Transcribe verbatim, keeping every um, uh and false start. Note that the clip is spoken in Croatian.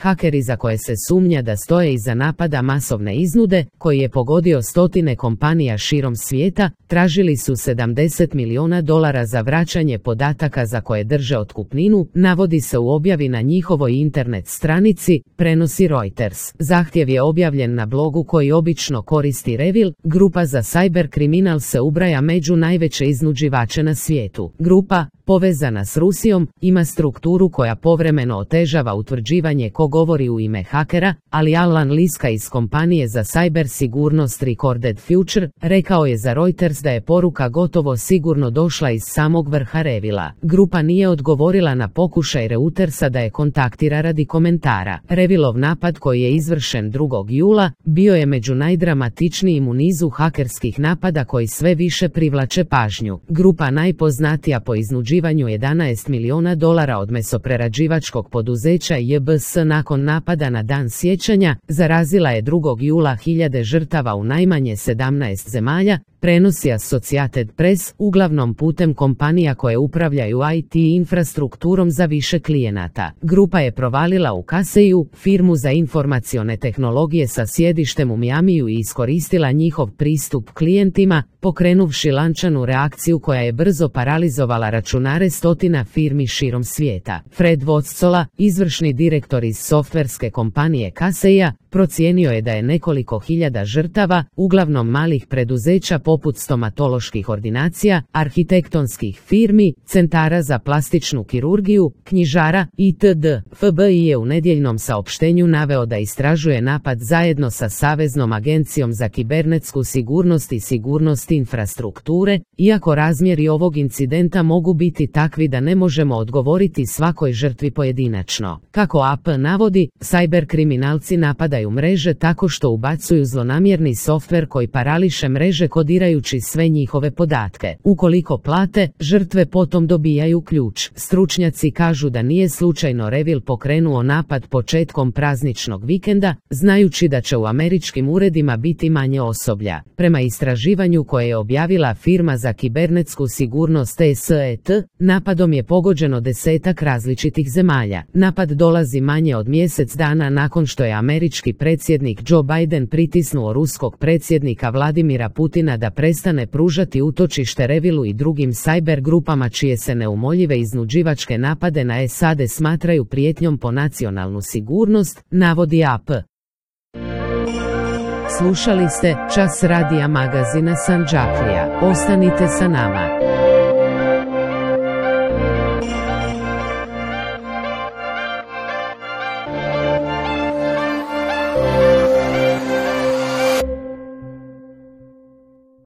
Hakeri za koje se sumnja da stoje iza napada masovne iznude, koji je pogodio stotine kompanija širom svijeta, tražili su sedamdeset milijuna dolara za vraćanje podataka za koje drže otkupninu, navodi se u objavi na njihovoj internet stranici, prenosi Reuters. Zahtjev je objavljen na blogu koji obično koristi Revil. Grupa za cyber kriminal se ubraja među najveće iznuđivače na svijetu. Grupa, povezana s Rusijom, ima strukturu koja povremeno otežava utvrđivanje ko govori u ime hakera, ali Alan Liska iz kompanije za cyber sigurnost Recorded Future rekao je za Reuters da je poruka gotovo sigurno došla iz samog vrha Revila. Grupa nije odgovorila na pokušaj Reutersa da je kontaktira radi komentara. Revilov napad koji je izvršen drugog jula bio je među najdramatičnijim u nizu hakerskih napada koji sve više privlače pažnju. Grupa, najpoznatija po iznuđivanju jedanaest milijuna dolara od mesoprerađivačkog poduzeća J B S nakon napada na Dan sjećanja, zarazila je drugog jula hiljade žrtava u najmanje sedamnaest zemalja, prenosi Associated Press, uglavnom putem kompanija koje upravljaju I T infrastrukturom za više klijenata. Grupa je provalila u Kaseju, firmu za informacione tehnologije sa sjedištem u Miamiju, i iskoristila njihov pristup klijentima, pokrenuvši lančanu reakciju koja je brzo paralizovala računare stotina firmi širom svijeta. Fred Wostzola, izvršni direktor iz softverske kompanije Kaseja, procijenio je da je nekoliko hiljada žrtava, uglavnom malih preduzeća poput stomatoloških ordinacija, arhitektonskih firmi, centara za plastičnu kirurgiju, knjižara itd. F B I je u nedjeljnom saopštenju naveo da istražuje napad zajedno sa Saveznom agencijom za kibernetsku sigurnost i sigurnost infrastrukture, iako razmjeri ovog incidenta mogu biti takvi da ne možemo odgovoriti svakoj žrtvi pojedinačno. Kako A P navodi, cyber kriminalci napadaju mreže tako što ubacuju zlonamjerni softver koji parališe mreže kodirajući sve njihove podatke. Ukoliko plate, žrtve potom dobijaju ključ. Stručnjaci kažu da nije slučajno Revil pokrenuo napad početkom prazničnog vikenda, znajući da će u američkim uredima biti manje osoblja. Prema istraživanju koje je objavila firma za kibernetsku sigurnost S E T, napadom je pogođeno desetak različitih zemalja. Napad dolazi manje od mjesec dana nakon što je američki predsjednik Joe Biden pritisnuo ruskog predsjednika Vladimira Putina da prestane pružati utočište Revilu i drugim cyber grupama čije se neumoljive iznuđivačke napade na S A D smatraju prijetnjom po nacionalnu sigurnost, navodi A P. Slušali ste Čas radija magazina Sandžaklija. Ostanite sa nama.